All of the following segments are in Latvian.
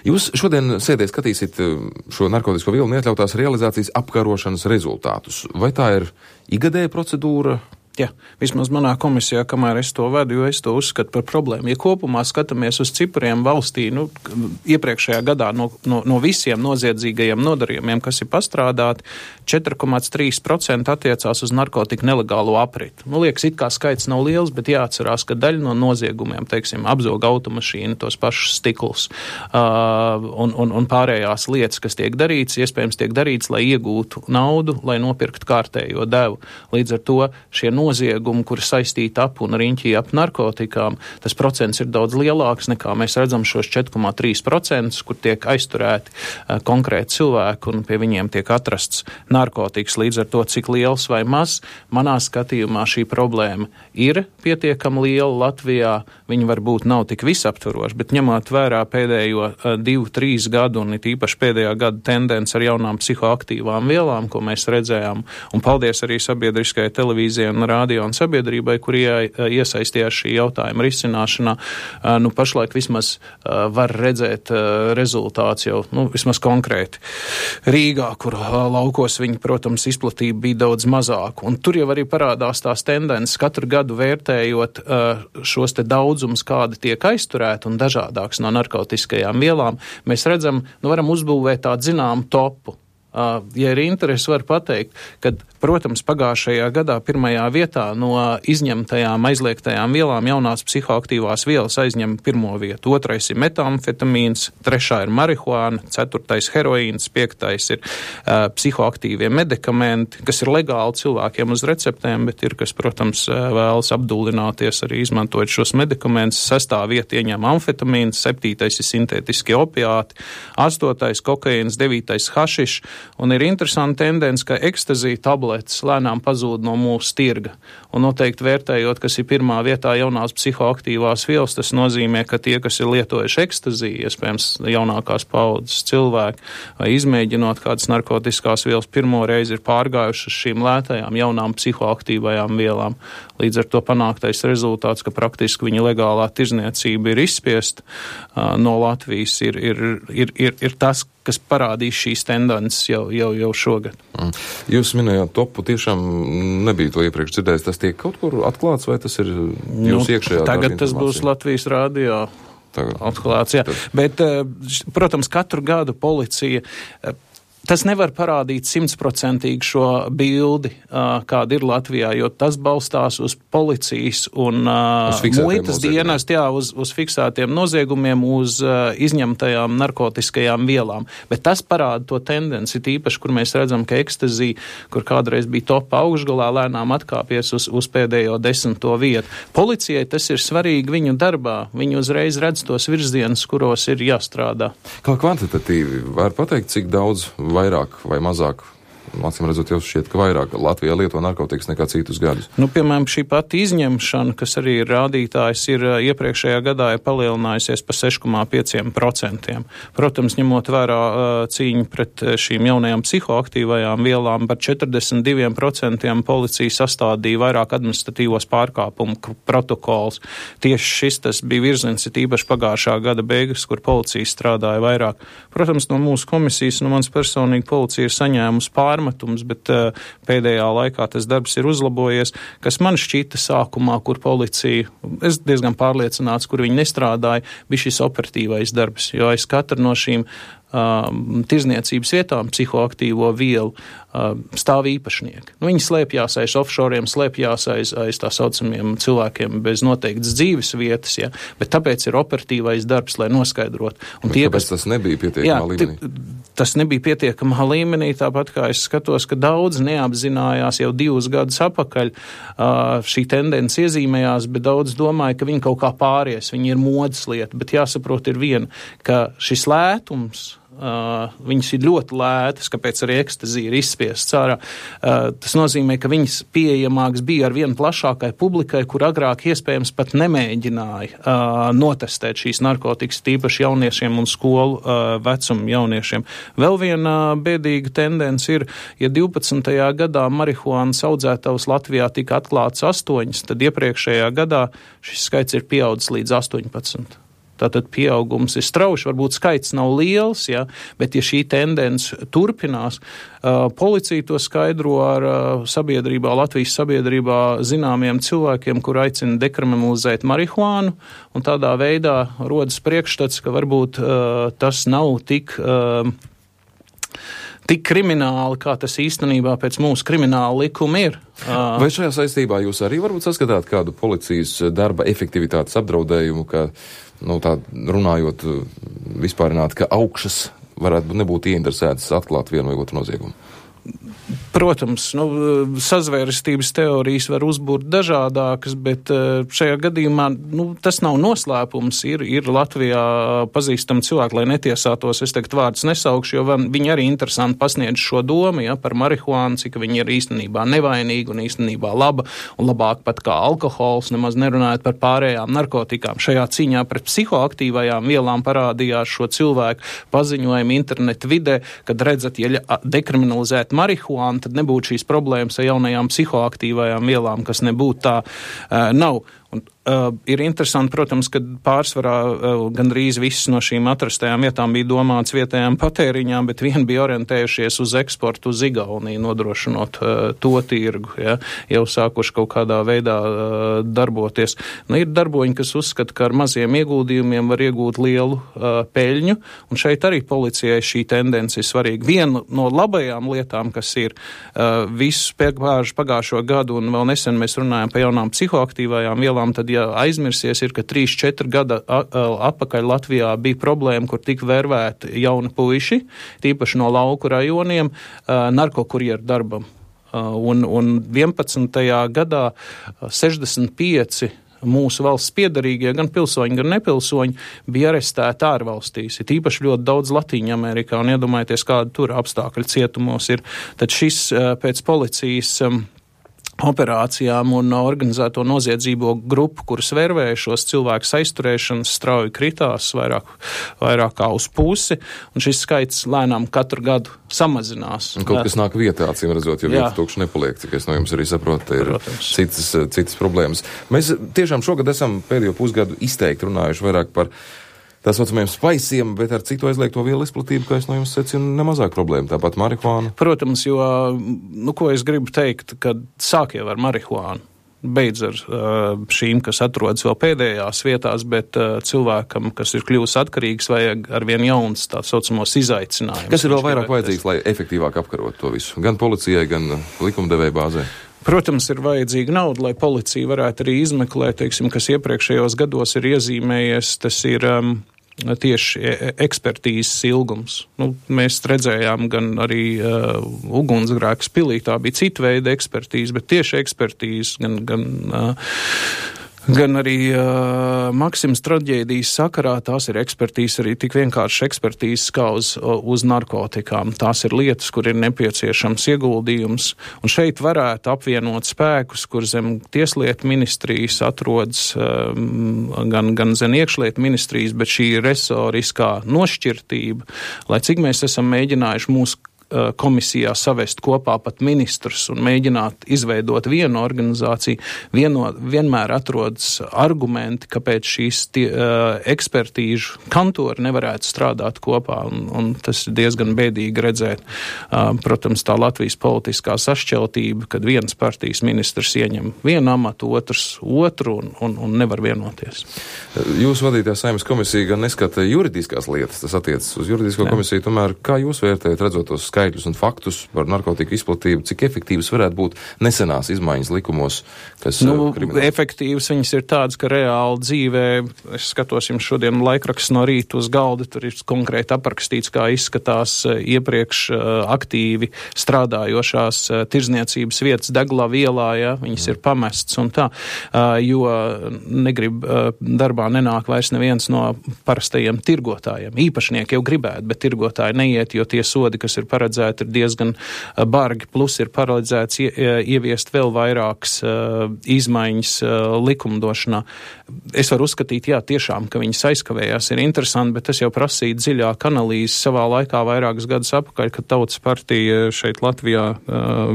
Jūs šodien sēdē skatīsiet šo narkotisko vielu neatļautās realizācijas apkarošanas rezultātus. Vai tā ir igadēja procedūra? Jā, vismaz manā komisijā, kamēr es to vedu, jo es to uzskatu par problēmu. Ja kopumā skatāmies uz cipriem valstī, iepriekšējā gadā no visiem noziedzīgajiem nodarījumiem, kas ir pastrādāti, 4,3% attiecās uz narkotiku nelegālo apriti. Liekas, it kā skaits nav liels, bet jāatcerās, ka daļa no noziegumiem, teiksim, apzoga automašīnu, tos pašus stiklus un pārējās lietas, kas tiek darīts, iespējams tiek darīts, lai iegūtu naudu, lai nopirktu kārtējo devu. Līdz ar to šie noziegumi, kuri saistīti ap un riņķī ap narkotikām, tas procents ir daudz lielāks nekā mēs redzam šos 4,3%, kur tiek aizturēti konkrēti cilvēki un pie viņiem tiek atrasts narkotikas. Līdz ar to, cik liels vai maz, manā skatījumā šī problēma ir pietiekami liela Latvijā. Viņa varbūt nav tik visaptvaroša, bet ņemot vērā pēdējo 2-3 gadu un it īpaši pēdējā gada tendence ar jaunām psihoaktīvām vielām, ko mēs redzējām, un paldies arī sabiedriskajai televīzijai un radio un sabiedrībai, kur iesaistījās šī jautājuma risināšanā. Pašlaik vismaz var redzēt rezultāts jau, vismaz konkrēti Rīgā, kur laukos viņi, protams, izplatība bija daudz mazāka. Un tur jau arī parādās tās tendences, katru gadu vērtējot šos te daudzumus, kādi tiek aizturēti un dažādāks no narkotiskajām vielām, mēs redzam, varam uzbūvēt tādu zināmu topu. Ja ir interesi, var pateikt, ka, protams, pagājušajā gadā pirmajā vietā no izņemtajām aizliegtajām vielām jaunās psihoaktīvās vielas aizņem pirmo vietu. 2. ir metamfetamīns, 3. ir marihuāna, 4. heroīns, 5. ir psihoaktīvie medikamenti, kas ir legāli cilvēkiem uz receptēm, bet ir, kas, protams, vēlas apdullināties arī izmantojot šos medikamentus. 6. vieta ieņem amfetamīns, 7. ir sintētiskie opiāti, 8. kokaīns, 9. hašišs. Un ir interesanta tendence, ka ekstazija tabletes lēnām pazūd no mūsu tirga. Un noteikti vērtējot, kas ir pirmā vietā jaunās psihoaktīvās vielas, tas nozīmē, ka tie, kas ir lietojuši ekstaziju, iespējams jaunākās paudzes cilvēki, vai izmēģinot kādas narkotiskās vielas, pirmo reizi ir pārgājuši uz šīm lētajām jaunām psihoaktīvajām vielām. Līdz ar to panāktais rezultāts, ka praktiski viņa legālā tirzniecība ir izspiesta no Latvijas, ir tas, kas parādīs šīs tendences jau šogad. Jūs minējāt topu, tiešām nebija to iepriekš dzirdējis. Tas tiek kaut kur atklāts, vai tas ir jūs iekšējā? Tagad tas būs Latvijas radio atklāts, jā. Bet, protams, katru gadu policija... Tas nevar parādīt 100% šo bildi, kāda ir Latvijā, jo tas balstās uz policijas un muitas dienestu, uz fiksētiem noziegumiem, uz izņemtajām narkotiskajām vielām. Bet tas parāda to tendenci, tīpaši, kur mēs redzam, ka ekstazija, kur kādreiz bija topa augšgalā, lēnām atkāpies uz pēdējo 10. vietu. Policijai tas ir svarīgi viņu darbā. Viņi uzreiz redz tos virzienus, kuros ir jāstrādā. Kā kvantitatīvi var pateikt, cik daudz vairāk vai mazāk, acīm redzot, jau šķiet, ka vairāk Latvijā lieto narkotikas nekā citus gadus? Piemēram, šī pati izņemšana, kas arī ir rādītājs, ir iepriekšējā gadā ir palielinājusies pa 6,5%. Protams, ņemot vērā cīņu pret šīm jaunajām psihoaktīvajām vielām, par 42% policija sastādīja vairāk administratīvos pārkāpumu protokols. Tieši šis tas bija virziens, ir īpaši pagājušā gada beigas, kur policija strādāja vairāk. Protams, no mūsu komisijas, no mans personīgi policija ir saņēmusi pārmetums, bet pēdējā laikā tas darbs ir uzlabojies, kas man šķita sākumā, kur policija, es diezgan pārliecināts, kur viņi nestrādāja, bija šis operatīvais darbs, jo aiz katra no šīm tirzniecības vietām psihoaktīvo vielu stāv īpašnieki. Viņi slēpjās aiz offshoriem, slēpjās aiz tā saucamiem cilvēkiem bez noteiktas dzīves vietas, ja? Bet tāpēc ir operatīvais darbs, lai noskaidrotu. Kāpēc tas nebija pietiekamā līmenī? Tas nebija pietiekamā līmenī, tāpat kā es skatos, ka daudz neapzinājās jau 2 gadus atpakaļ šī tendence iezīmējās, bet daudz domāja, ka viņi kaut kā pāries, viņi ir modes lieta, bet jāsaprot ir viena, ka šis lētums, viņas ir ļoti lētas, kāpēc arī ekstazija ir izspiests ārā. Tas nozīmē, ka viņas pieejamāks bija ar vienu plašākai publikai, kur agrāk iespējams pat nemēģināja notestēt šīs narkotikas, tīpaši jauniešiem un skolu vecumu jauniešiem. Vēl viena bēdīga tendence ir, ja 12. gadā marihuānas audzētavas Latvijā tika atklāts 8, tad iepriekšējā gadā šis skaits ir pieaudzis līdz 18. Tātad pieaugums ir strauši, varbūt skaits nav liels, ja, bet ja šī tendence turpinās, policija to skaidro ar sabiedrībā, Latvijas sabiedrībā zināmiem cilvēkiem, kur aicina dekriminalizēt marihuānu, un tādā veidā rodas priekšstats, ka varbūt tas nav tik krimināli, kā tas īstenībā pēc mūsu krimināla likuma ir. Vai šajā saistībā jūs arī varbūt saskatāt kādu policijas darba efektivitātes apdraudējumu, ka, tā runājot vispārināt, ka augšas varētu nebūt ieinteresētas atklāt vienu vai otru noziegumu? Protams, sazvērestības teorijas var uzbūrt dažādākas, bet šajā gadījumā tas nav noslēpums. Ir Latvijā pazīstami cilvēki, lai netiesātos, es tagad vārdus nesaukšu, jo viņi arī interesanti pasniedz šo domu, ja, par marihuānu, cik viņi ir īstenībā nevainīgi un īstenībā laba un labāk pat kā alkohols, nemaz nerunājot par pārējām narkotikām. Šajā cīņā pret psihoaktīvajām vielām parādījās šo cilvēku paziņojumu internetu vidē, kad redzat, ja dekriminalizēt marihuānu, tad nebūtu šīs problēmas ar jaunajām psihoaktīvajām vielām, kas nebūtu tā nav. Un, ir interesanti, protams, ka pārsvarā gandrīz visas no šīm atrastajām vietām bija domāts vietējām patēriņām, bet vien bija orientējušies uz eksportu uz Igauniju, nodrošinot to tirgu, ja, jau sākuši kaut kādā veidā darboties. Ir darboņi, kas uzskata, ka ar maziem ieguldījumiem var iegūt lielu peļņu, un šeit arī policijai šī tendence ir svarīga. Viena no labajām lietām, kas ir visus pagājušo gadu, un vēl nesen mēs runājam par jaunām psihoaktīvajām vielām, tad, ja aizmirsies, ir, ka 3-4 gada atpakaļ Latvijā bija problēma, kur tika vērvēti jauni puiši, tīpaši no lauku rajoniem, narkokurjeru darbam. Un 11. gadā 65 mūsu valsts piedarīgie, gan pilsoņi, gan nepilsoņi, bija arestēti ārvalstīs. Ir īpaši ļoti daudz Latīņa Amerikā, un iedomājieties, kāda tur apstākļi cietumos ir. Tad šis pēc policijas operācijām un organizēto noziedzīgo grupu, kuras vērvēja šos cilvēkus aizturēšanas, strauji kritās vairāk kā uz pusi, un šis skaits lēnām katru gadu samazinās. Un kaut kas nāk vietā, acīm redzot, jo vieta tukša nepaliek, cik es no jums arī saprotu, ir citas problēmas. Mēs tiešām šogad esam pēdējo pusgadu izteikti runājuši vairāk par tā saucamajiem spaisiem, bet ar citu aizliegto vielu izplatību, kā es no jums secinu, nemazāk problēma, tāpat marihuāna. Protams, jo, ko es gribu teikt, kad sāk jau ar marihuānu, beidz ar šīm, kas atrodas vēl pēdējās vietās, bet cilvēkam, kas ir kļuvis atkarīgs, vajag arvien jauns tā saucamos izaicinājumus. Kas ir vēl vairāk vajadzīgs, lai efektīvāk apkarot to visu? Gan policijai, gan likumdevēja bāzē? Protams, ir vajadzīga nauda, lai policija varētu arī izmeklēt, teiksim, kas iepriekšējos gados ir iezīmējies, tas ir tieši ekspertīzes ilgums. Mēs redzējām gan arī ugunsgrēks pilī, tā bija cita veida ekspertīze, bet tieši ekspertīze, gan arī Maksims traģēdijas sakarā, tās ir ekspertīzes, arī tik vienkārši ekspertīzes kā uz narkotikām. Tās ir lietas, kur ir nepieciešams ieguldījums, un šeit varētu apvienot spēkus, kur zem tieslietu ministrijas atrodas gan zem iekšlietu ministrijas, bet šī resoriskā nošķirtība, lai cik mēs esam mēģinājuši mūsu komisijā savest kopā pat ministrus un mēģināt izveidot vienu organizāciju, vienmēr atrodas argumenti, kāpēc šīs ekspertīžu kantori nevarētu strādāt kopā, un tas ir diezgan bēdīgi redzēt. Protams, tā Latvijas politiskā sašķeltība, kad viens partijas ministrs ieņem vienu amatu, otrs otru un nevar vienoties. Jūsu vadītā Saeimas komisija gan neskata juridiskās lietas, tas attiecas uz juridisko komisiju, tomēr kā jūs vērtējat, redzot tos skaitļus un faktus par narkotiku izplatību, cik efektīvas varētu būt nesenās izmaiņas likumos, kas efektīvas viņas ir tādas, ka reāli dzīvē, es skatos jums šodien laikraksts no rīta uz galda, tur ir konkrēti aprakstīts, kā izskatās iepriekš aktīvi strādājošās tirzniecības vietas Deglavu ielā, ja, viņas ir pamestas un tā, jo negrib darbā nenāk vairs neviens no parastajiem tirgotājiem. Īpašnieki jau gribētu, bet tirgotāji neiet, jo tie sodi, kas ir paredzēti, ir diezgan bargi, plus ir paredzēts ieviest vēl vairākas izmaiņas likumdošanā. Es varu uzskatīt, jā, tiešām, ka viņas aizkavējās, ir interesanti, bet tas jau prasīja dziļāku analīzi savā laikā vairākus gadus apakaļ, kad Tautas partija šeit Latvijā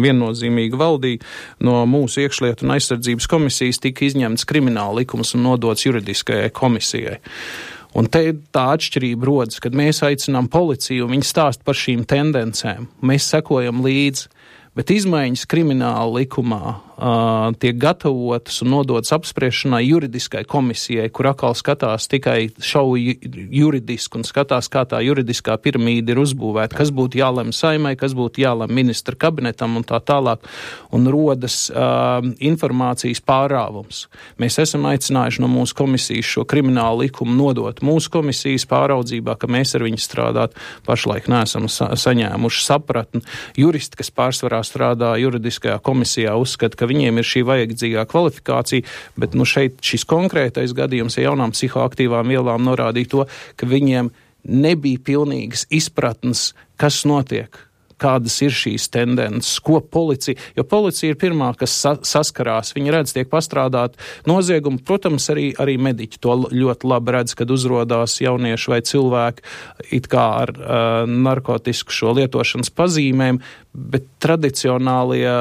viennozīmīgi valdīja. No mūsu iekšlietu un aizsardzības komisijas tika izņemts krimināla likums un nodots juridiskajai komisijai. Un te tā atšķirība rodas, kad mēs aicinām policiju, un viņi stāst par šīm tendencēm. Mēs sekojam līdzi, bet izmaiņas krimināla likumā tiek gatavotas un nodotas apspriešanai juridiskai komisijai, kur atkal skatās tikai šauji juridiski un skatās, kā tā juridiskā piramīda ir uzbūvēta, kas būtu jālem Saimai, kas būtu jālem ministra kabinetam un tā tālāk, un rodas informācijas pārāvums. Mēs esam aicinājuši no mūsu komisijas šo kriminālu likumu nodot mūsu komisijas pāraudzībā, ka mēs ar viņu strādāt pašlaik neesam saņēmuši sapratni. Juristi, kas pārsvarā strādā juridiskajā komisijā, uzskata, ka viņiem ir šī vajadzīgā kvalifikācija, bet šeit šis konkrētais gadījums ar jaunām psihoaktīvām vielām norādīja to, ka viņiem nebija pilnīgas izpratnes, kas notiek, kādas ir šīs tendences, ko policija, jo policija ir pirmā, kas saskarās, viņi redz, tiek pastrādāt noziegumi, protams, arī mediķi to ļoti labi redz, kad uzrodās jaunieši vai cilvēki it kā ar narkotisku šo lietošanas pazīmēm, bet tradicionālie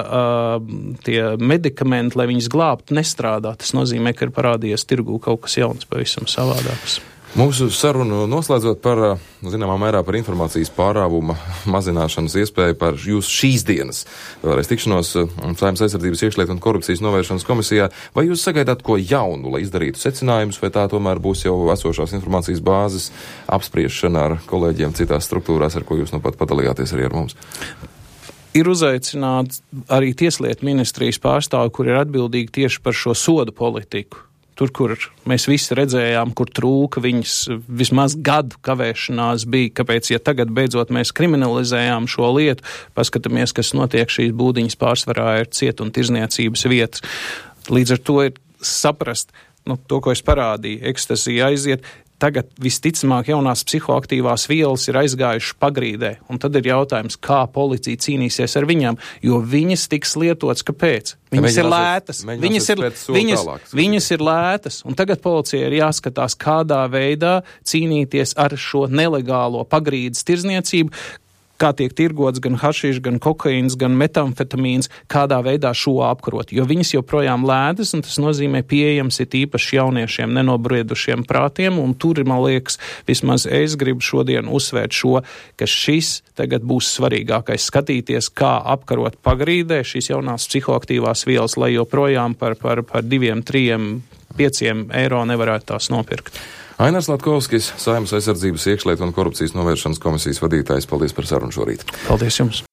tie medikamenti, lai viņus glābtu, nestrādā. Tas nozīmē, ka ir parādījies tirgū kaut kas jauns, pavisam savādāks. Mūsu sarunu noslēdzot par, zināmā mērā, par informācijas pārāvuma mazināšanas iespēju par jūsu šīs dienas vēlreiz tikšanos Saeimas aizsardzības iekšlietu un korupcijas novēršanas komisijā. Vai jūs sagaidāt ko jaunu, lai izdarītu secinājumus, vai tā tomēr būs jau esošās informācijas bāzes apspriešana ar kolēģiem citās struktūrās, ar ko jūs pat padalījāties arī ar mums? Ir uzaicināts arī Tieslietu ministrijas pārstāvi, kur ir atbildīgi tieši par šo sodu politiku. Tur, kur mēs visi redzējām, kur trūka viņas vismaz gadu kavēšanās bija, kāpēc, ja tagad beidzot mēs kriminalizējām šo lietu, paskatāmies, kas notiek, šīs būdiņas pārsvarā ir ciet un tirzniecības vietas. Līdz ar to ir saprast, to, ko es parādīju, ekstazija aiziet. Tagad visticamāk jaunās psihoaktīvās vielas ir aizgājušas pagrīdē, un tad ir jautājums, kā policija cīnīsies ar viņām, jo viņas tiks lietotas, kāpēc? Viņas ir lētas. Viņas ir lētas, un tagad policija ir jāskatās, kādā veidā cīnīties ar šo nelegālo pagrīdes tirzniecību, kā tiek tirgots gan hašišs, gan kokaīns, gan metamfetamīns, kādā veidā šo apkarot, jo viņas joprojām lētas, un tas nozīmē pieejams ir īpaši jauniešiem nenobriedušiem prātiem, un tur, man liekas, vismaz es gribu šodien uzsvērt šo, ka šis tagad būs svarīgākais skatīties, kā apkarot pagrīdē šīs jaunās psihoaktīvās vielas, lai joprojām par 2, 3, 5 eiro nevarētu tās nopirkt. Ainars Latkovskis, Saeimas aizsardzības iekšlietu un korupcijas novēršanas komisijas vadītājs. Paldies par sarunu šorīt. Paldies jums.